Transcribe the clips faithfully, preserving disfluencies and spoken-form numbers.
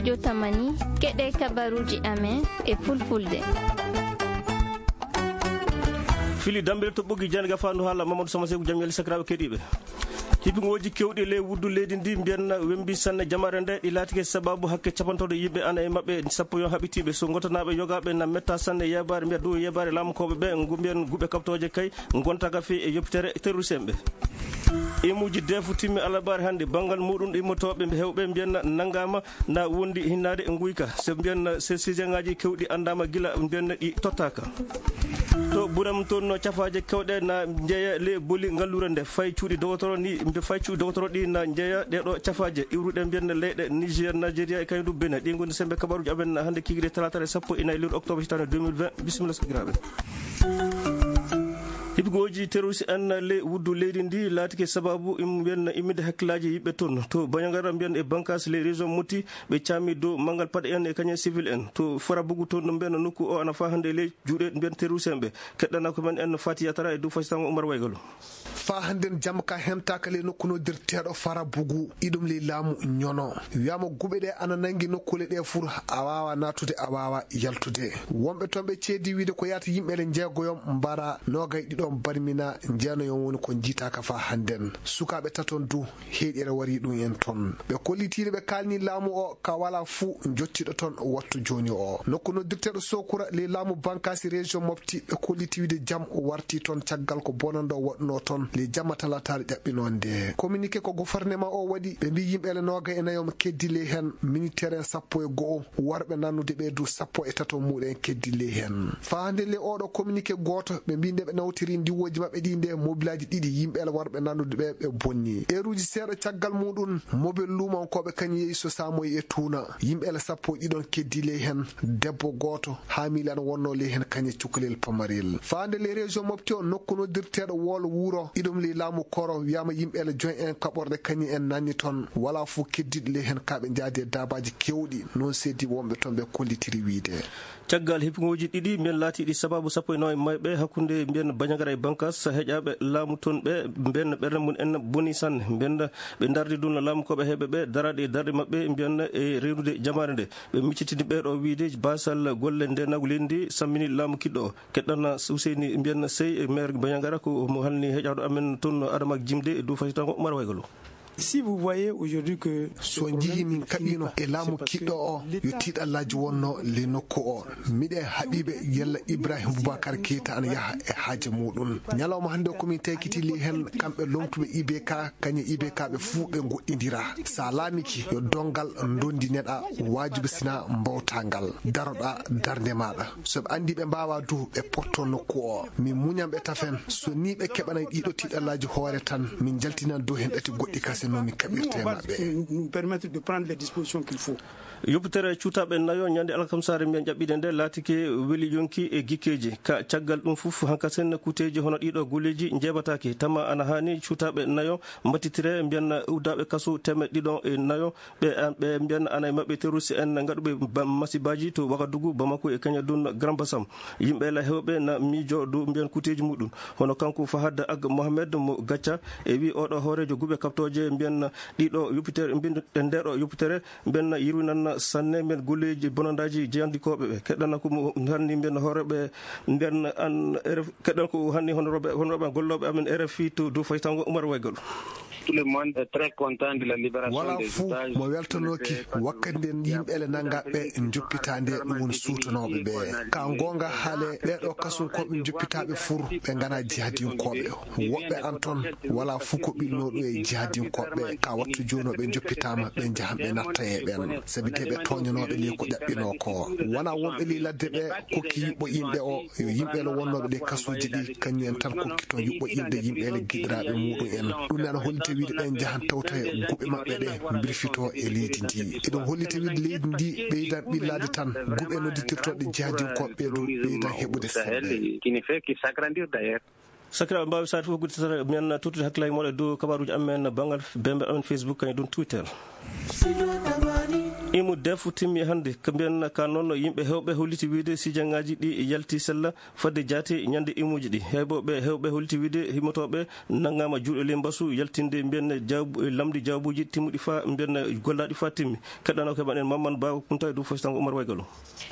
Jotamani, keɗe kabaruji amen e fulfulde. Fili dambel to ɓoggi jannde ga fandu haala Mamadou Sama Seku, jam yali sakiraaɓe keɗiiɓe. Hippingooji kewɗi ley wuddu leydi ndi mbiyanna wembi sanne jamaare nde, ɗi laatike sababu hakke capantooɗo yimɓe ana e maɓɓe sappo yon haɓitiiɓe. So ngotanaaɓe yogaaɓe na metta sanne yeebaare, mbiya dow yeebaare laamukooɓe ɓe, ngu mbiyan guɓe kaɓtooje kay, ngontaka fii e yoppitere terroriste en ɓe. Imuuji deefu timmi alabaare hannde, banngal muɗum immotooɓe hewɓe mbiyanna nanngaama na wondi hinnaade e nguyka. So mbiyanna se sijengaji kewɗi anndaama gila mbiyanna ɗi tottaaka. To Buram toon no cafaaje kewɗe na njeeya le boli ngalluure nde fay cuuɗi dogotoro ni, mbe fay cuuɗi dogotoro ɗi na njeeya ɗeɗo cafaaje iwruɗe mbiyanna leyɗe Niger, Nigeria e kaydu Benin. Ɗi ngoni sembe kabaruji amen hannde kigiri talaata e sappo e nayi lewru octobre hitaande deux mille vingt. Bisimilla sakiraaɓe. Hibigooji terroriste en ley wuddu leydi ndi laatike sababu im-, mbiyen imminde hakkillaaji yimɓe toon. To Bandiagara mbiyen e bannkaas ley région Mopti, ɓe caami dow manngal paɗe en e kañum civil en. To Farabougou toon no mbiyen nokku o ana faa hannde ley juuɗe mbiyen terroriste en ɓe. Keɗɗana ko men en Fati Yatara e dow fasitango Oumar Waygalo. Faa hannden jamma ka hemtaaka ley nokku noddirteeɗo Farabougou, iɗum ley laamu Ñono. Wiyaama guɓe ɗe ana nanngi nokkuule ɗe fur, a waawa naatude, a waawa yaltude. Wonɓe toon ɓe ceedi wiide ko yaata yimɓe le njeegoyon mbara, noogay ɗiɗon barmina, jeenayon woni ko njiitaaka faa hannden. Sukaaɓe taton du, heyɗere warii ɗum en toon. Ɓe kollitiino ɓe kaalni laamu o ka walaa fuu jottiiɗo toon wattu jooni o. Nokku noddirteeɗo Sokura ley laamu bankaasi région Mopti, ɓe kolliti wiide jam warti toon caggal ko bonannde o waɗunoo toon ley jamma talaataare ƴaɓɓinoo nde. Communiqué ko gouvernement o waɗi, ɓe mbii yimɓe le noogay e nayo keddi ley heen, militaire en sappo e go'o, worɓe nannude ɓe du sappo e tato muuɗum en keddi ley heen. Faa hannde ley oɗo communiqué gooto, ɓe mbii nde ɓe nawtiri ndiwooji maɓɓe ɗi nde mobilaaji ɗiɗi yimɓe le worɓe nannude ɓe, ɓe bonni. Eeruuji seeɗa caggal muuɗum, mobel luumankooɓe kañum yehi so saamoyi e tuuna. Yimɓe le sappo e ɗiɗon keddi ley heen, debbo gooto, haa miilan wonnoo ley heen kañum e cukalel pamarel. Faa hannde ley région Mopti o nokku noddirteeɗo Wolo Wuro, iɗum ley laamu Koro, wiyaama yimɓe le joñ en kaɓorɗe kañum en nanni toon. Walaa fuu keddiiɗo ley heen kaa ɓe njaadi e daabaaji keewɗi, noon seedi wonɓe toon ɓe kollitiri wiide. Caggal hippiŋooji ɗiɗi mbiyen laatiiɗi sababu sappo e nayo e mayɓe hakkunde mbiyen Bandiagara e Bankaas, heƴaaɓe laamu toon ɓe mbiyen ɓernde mum en boni sanne. Mbiyen ɓe ndardi ɗum laamu ko ɓe heɓe ɓe daraade e darɗe maɓɓe mbiyen e rewrude jamaare nde. Ɓe miccitini ɓe ɗo wiide baasal golle ndeenaagu leydi ndi sammini laamu kiɗɗo o. Keɗɗana Useyni mbiyen sey e maire Bandiagara ko mo halni heƴaaɗo amen toon Adama Jimde e dow fasitango Umar Waygalo. Si vous voyez aujourd'hui que so njii min kaɓiino e laamu kiɗɗo o, yo tiiɗallaaji wonno ley nokku o. Miɗe haɓiiɓe yalla Ibrahim Boubacar Keita ana yaha e haaje muɗum. Ñalawma hannde o ko min taykiti ley heen kamɓe lomtuɓe I B K, kañe I B K ɓe fuu ɓe ngoɗɗindira. Sa laamiki yo donngal ndondi neɗa waajibi sina mbawtangal. Daroɗa darnde maɗa. So ɓe anndi ɓe mbaawaa du, ɓe potto nokku o. Min muñan ɓe tafen. So nii ɓe keɓanay ɗiɗo tiiɗallaaji hoore tan, min njaltinan dow heen ɗati goɗɗi kase no min kaɓirta e maɓɓe. Nous, nous permettre de prendre les dispositions qu'il faut. Yoppitere cuutaaɓe nayo ñande alkamsaare mbiyen ƴaɓɓiɗe nde laatike weli yonki e gikkeeji. Ka caggal ɗum fof, hankasen kuuteeji hono ɗiɗo golleeji njeebataake. Tama ana haani cuutaaɓe nayo mbattitire mbiyen uddaaɓe kaso teemeɗɗe ɗiɗo e nayo. Ɓe, ɓe mbiyan ana e maɓɓe terroriste en ngaɗuɓe ba-, masibaaji to Wagadugu, Bamako e Keñadun, Grand Bassam. Yimɓe la hewɓe na miijo dow mbiyan kuuteeji muɗum. Hono kanko Fahad Ag Mohamed mo Gacca e wi oɗo hooreejo guɓe kaɓtooje mbiyan ɗiɗo yoppitere, mbiyan ndeɗo yoppitere mbiyan yirwinan sanne mbiyan golleeji bonandaaji jeyandinkooɓe ɓe. Keɗɗana ko mo hanni mbiyan hooreeɓe mbiyan an R F, keɗɗana ko hanni honorooɓe, honorooɓe gollooɓe amen R F I to dow faytango Umar Waygol. Tout le monde est très content de la libération des otages. Walaa fuu mo weltanooki wakkati nden yimɓe le nanngaɓe njoppitaande, ɗum woni suutanooɓe ɓe. Ka goonga haale, ɓeeɗo kasunkooɓe njoppitaaɓe fur, ɓe ngana jihadinkooɓe. Woɓɓe an ton, walaa fuu ko ɓilnoo ɗum e jihadinkooɓe. Ka wattu jooni o ɓe njoppitaama, ɓe njahan ɓe natta e ɓen. Sabi de ɓe tooñanooɓe ley ko ƴaɓɓinoo ko. Wonaa wonɓe ley ladde ɓe kokki yuɓɓo yimɓe o, yo yimɓe le wonnooɓe ɗe kasuuji ɗi, kañum en tan kokki toon yuɓɓo yimɓe, yimɓe le giɗiraaɓe muɗum en. Ɗum ne ana hollita wiide ɓe njahan tawta e guɓe maɓɓe ɗe mbirfitoo e leydi ndi. Eɗum hollita wiide leydi ndi ɓeydan ɓillaade tan, guɓe nodditirtooɗe jihadinkooɓe ɓe ɗum ɓeydan heɓude sembe. Qui ne fait que s'agrandir d'ailleurs. Sakiraaɓe, mbaawi saare fof gudditere, mbiyen tottude hakkillaaji mooɗon e dow kabaaruuji amen banngal bembe amen Facebook, kañum ɗum Twitter. Imu def timmi hannde, ko mbiyen ka noon yimɓe heewɓe holliti wiyde sijaŋaaji ɗi yalti sella fadde jaati ñande imuuji ɗi. Heewɓe heewɓe holliti wiyde himotooɓe nanngaama juuɗe ley mbasu yaltinde mbiyen jawbu-, lamndi jawbuuji timmuɗi faa mbiyen gollaaɗi faa timmi. Keɗɗanoo ko heɓan en Mamman Ba Kunta e dow faysango Umar Waygalo.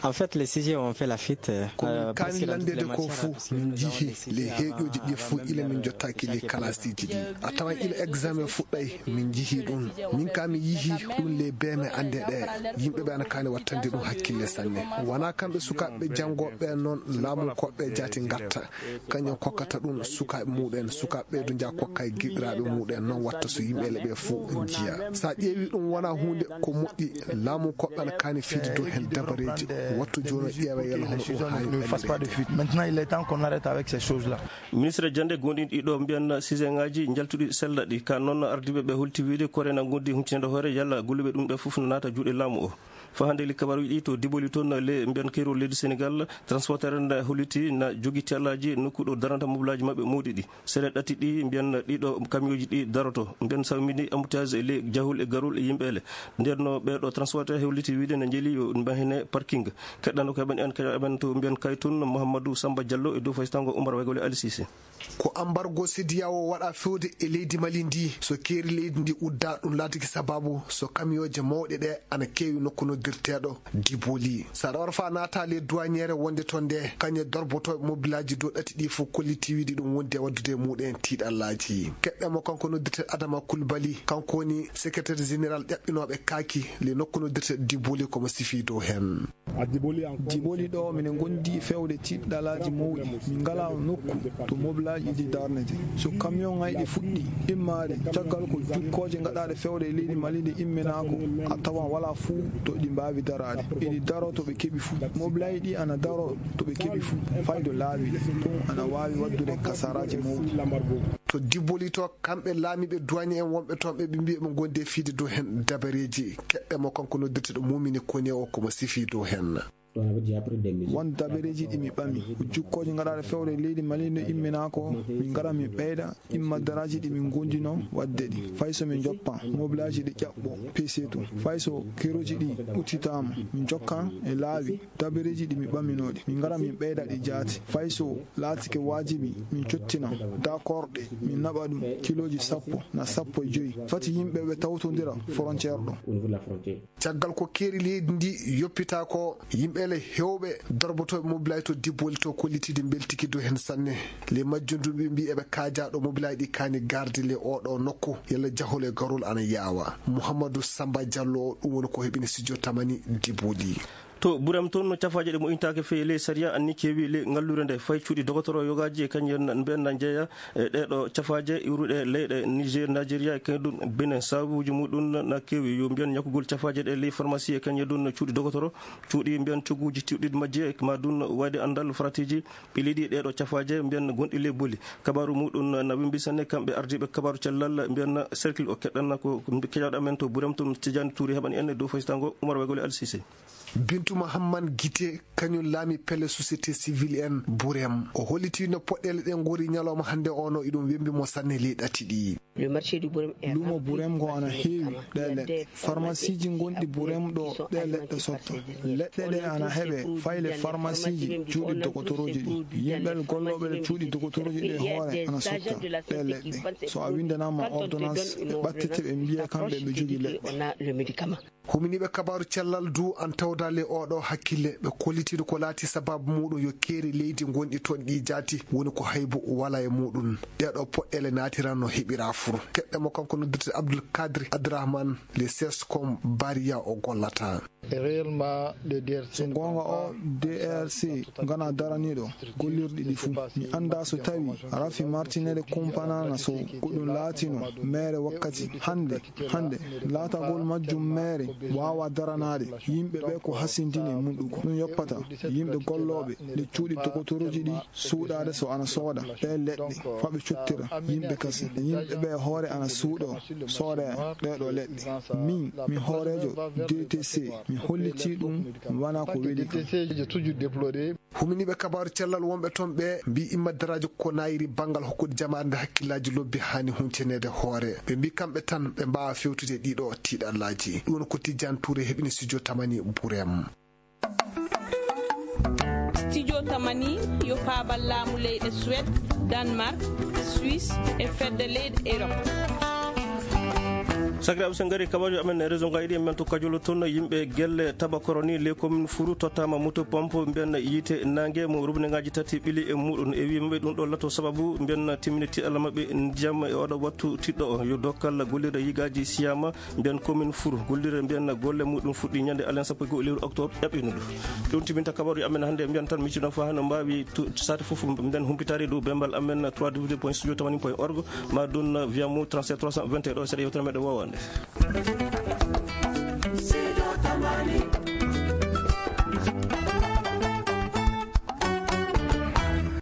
En fait, les sujets ont fait la fuite. Ko min kaani lanndeede ko fuu, min njihii les heeƴooji ɗi fuu ila min njottaaki les kalaasiiji ɗi. A tawan ila examen fuɗɗay, min njihii ɗum. Min ka mi yihii ɗum les beeme annde ɗe. Yimɓe ɓe ana kaani wattande ɗum hakkille sanne. Wonaa kamɓe sukaaɓe ɓe janngooɓe ɓe noon laamu koɓɓe jaati ngatta. Kañum kokkata ɗum sukaaɓe muɗen, sukaaɓe ɓe du njaha kokka e giɗiraaɓe muɗen, noon watta so yimɓe leɓe fof njiya. So a ƴeewi ɗum wona huunde ko moƴƴi, laamu koɓɓe ana kaani fiide dow heen dabareeji, wattu jooni o ƴeewa yalla hono ɗum haani ɗaɓɓireede. Maintenant, il est temps qu'on arrête avec ces choses-là. Ministre jannde gonɗinɗi ɗo mbiyan siseŋaaji njaltuɗi sella ɗi, ka noon ardiiɓe ɓe holti wiide korena ngondi huccinde hoore yalla golluɓe ɗum ɓe fof no naata juuɗe laamu o. Fa hannde li kabaruuji ɗi to Diboli toon, le mbiyan keerol leydi Senegal, transporteur na holliti na jogi tellaaji nokku ɗo daranta mobilaaji maɓɓe mawɗi ɗi. Sere ɗati ɗi mbiyan ɗiɗo kamiyooji ɗi daroto. Mbiyan sawmini embouteillage e le jahol e garol e yimɓe ele. Nden no ɓeeɗo transporteur holliti wiide na njeli yo mbahine parking. Keɗɗano ko heɓen en, ko heɓen to mbiyan kay toon Mouhamadou Samba Diallo e dow faysango Oumar Waygole Ali Cissé. Ko ambargo sediyawo waɗa fewde e leydi Mali ndi. So keeri leydi ndi udda, ɗum laatiki sababu so kamiyooje mawɗe ɗe ana keewi nokku noddirteeɗo Diboli. So aɗa wara fa naata le douaniére wonde toon nde, kañe dorbotooɓe mobilaaji dow ɗati ɗi fof kolliti wiide ɗum wondi e waddude e muɗen tiiɗallaaji. Keɗɗen mo kanko noddirteeɗo Adama Koulibaly, kanko woni secrétaire général ƴaɓɓinooɓe kaaki le nokku noddirteeɗo Diboli, ko mo sifi dow heen. Diboli ɗo, minen ngondi fewde tiiɗalaaji mawɗi. Min ngalaa nokku to mobilaaji ɗi darnete. So kamiyonŋaaji ɗi fuɗɗi immaade, caggal ko jukkooje ngaɗaaɗe fewde e leydi Mali nde imminaa ko, a tawan walaa fuu to ɗi mbaawi daraade. Eɗi daroo to ɓe keɓi fuu. Mobilaaji ɗi ana daroo to ɓe keɓi fuu. Faydo laawi ɗi. Ɗum ana waawi waɗdude kasaaraaji mawɗi. To Diboli to, kamɓe laamiiɓe duwaañe en wonɓe toon, ɓe ɓe mbiyi ɓe ngondi e fiide dow heen dabareeji. Keɗɗe mo kanko noddirteeɗo Mumini Kone o, ko mo sifi dow heen. Won dabareeji ɗi mi ɓami. Ko jukkooje ngaɗaaɗe fewde e leydi Mali no imminaa ko, min ngara min ɓeyda imma daraaji ɗi min ngondinoo waɗde ɗi. Fay so min njoppa mobilaaji ɗi ƴaɓɓo P C to. Fay so kerooji ɗi uttitaama, min njokka e laawi dabareeji ɗi mi ɓaminoo ɗi. Min ngara min ɓeyda ɗi jaati. Fay so laatike waajibi, min cottina dakorɗe, min naɓa ɗum kilooji sappo na sappo e joy. Fati yimɓe ɓe tawtondira frontière ɗo. Caggal ko keeri leydi ndi yoppita ko, yimɓe le heewɓe dorbotooɓe mobilaaji to Diboli to kollitiide mbeltiki dow heen sanne. Le majjundu ɓe mbi eɓe kaaja ɗo mobilaaji ɗi kaani garde le oɗo nokku, yalla jahol e garol ana yaawa. Mouhamadou Samba Diallo o, ɗum woni ko heɓini studio Tamani Diboli. To Burem toon, no cafaaje ɗe moƴƴintaake feere ley sariya anni keewi ley ngalluure nde. Fay cuuɗi dogotoro yogaaji e kañum en mbiyen na njeeya e ɗeeɗo cafaaje iwruɗe leyɗe Niger, Nigeria e kañum ɗum Benin. Sababuuji muɗum na keewi, yo mbiyen ñakkugol cafaaje ɗe ley farmasi e kañum ɗum cuuɗi dogotoro, cuuɗi mbiyen cogguuji tiwɗiɗi majji e ma ɗum wayde anndal faratiiji ɓe leydi ɗeeɗo cafaaje mbiyen gonɗi ley boli. Kabaaru muɗum na wimbi sanne, kamɓe ardiiɓe kabaaru cellal mbiyen cercle o. Keɗɗanna ko keƴaɗo amen to Burem toon, Tidiane Touré heɓani en e dow faysango Oumar Waygole Ali Cissé. Bintu Mahamman Gite, kañum laami pelle société civile en Burem. O holliti no poɗɗeele ɗe ngori ñalawma hannde o no iɗum wembi mo sanne ley ɗati ɗi. Luumo Burem ngo ana heewi ɗe leɗɗe. Farmasiiji gonɗi Burem ɗo ɗe leɗɗe sotta. Leɗɗe ɗe ana heɓe fay le farmasiiji cuuɗi dogotorooji ɗi. Yimɓe gollooɓe le cuuɗi dogotorooji ɗe hoore ana sotta ɗe leɗɗe. So a winndanaama ordonnance, ɓe ɓattete ɓe mbiya kamɓe ɓe jogii leɗɗe. Huminiiɓe kabaaru cellal du an tawdaali oɗo hakkille, ɓe kollitiino ko laati sababu muɗum yo keeri leydi gonɗi toon ɗi jaati, woni ko haybu wala e muɗum. Ɗeeɗo poɗɗeele naatiran no heɓira fur. Keɗɗe mo kanko noddirte Abdoul Kadri Abdourahmane, le sescom Bariya o gollata. So goonga o, D R C ngana daraniiɗo gollirɗi ɗi fuu. Mi anndaa so tawi rafi martinere kumpanaana so ko ɗum laatino meere wakkati hannde. Hannde, laatagol majjum meere waawaa daranaade yimɓe ɓe ko hasindini e muɗum ko. Ɗum yoppata yimɓe gollooɓe le cuuɗi dogotorooji ɗi suuɗaade so ana sooda ɗe leɗɗe faa ɓe cottira yimɓe kase. Yimɓe ɓe hoore ana suuɗoo soodee ɗeeɗo leɗɗe. Min, mi hooreejo D T C, mi Holliti ɗum wona ko weli kam. Huminiiɓe kabaaru cellal wonɓe toon ɓe mbi imma daraaji ko nayiri banngal hokkude jamaare nde hakkillaaji lobbi haani hunceneede hoore. Ɓe mbi kamɓe tan ɓe mbaawa fewtude ɗiɗo tiiɗallaaji. Ɗum woni ko Tijjaan Tuure heɓini studio Tamani Burem. Studio Tamani yo paabal laamu leyɗe Suède, Danemark, Suisse e fedde leyɗe Europe. Sakiraaɓe, so en ngarii kabaaruuji amen e région ngaji ɗi, men to Kajolo toon, yimɓe gelle Tabakoro ni, les communes Furu, tottaama moto pompe mbiyen yiite naange mo robinet ngaji tati ɓili e muɗum. E wii maɓɓe ɗum ɗo lato sababu mbiyen timmini tiiɗalla maɓɓe ndiyam e oɗo wattu tiɗɗo o. Yo dokkal gollirde yigaaji siyaama. Mbiyen commune Furu gollirde mbiyen golle muɗum fuɗɗi ñande alen sappo e goo lewru octobre ɗaɓɓinuɗo. Ɗum timinta kabaru amen hannde, mbiyen tan micino fa no mbaawi tu- sate fof mbiyen humpitaade dow bembal amen trois w point studio tamani point org, ma ɗum via mo trente-sept trois cent vingt et un ɗo seeɗa yewtere meɗen wowande.